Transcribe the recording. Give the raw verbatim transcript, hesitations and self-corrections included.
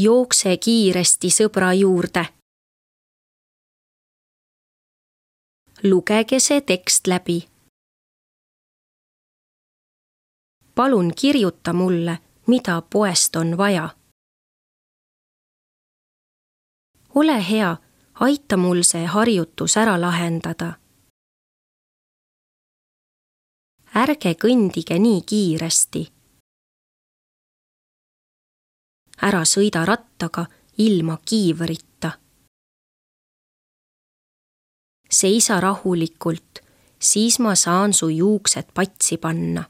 Jookse kiiresti sõbra juurde. Lugege see tekst läbi. Palun kirjuta mulle, mida poest on vaja. Ole hea, aita mul see harjutus ära lahendada. Ärge kõndige nii kiiresti. Ära sõida rattaga ilma kiivrita. Seisa rahulikult, siis ma saan su juuksed patsi panna.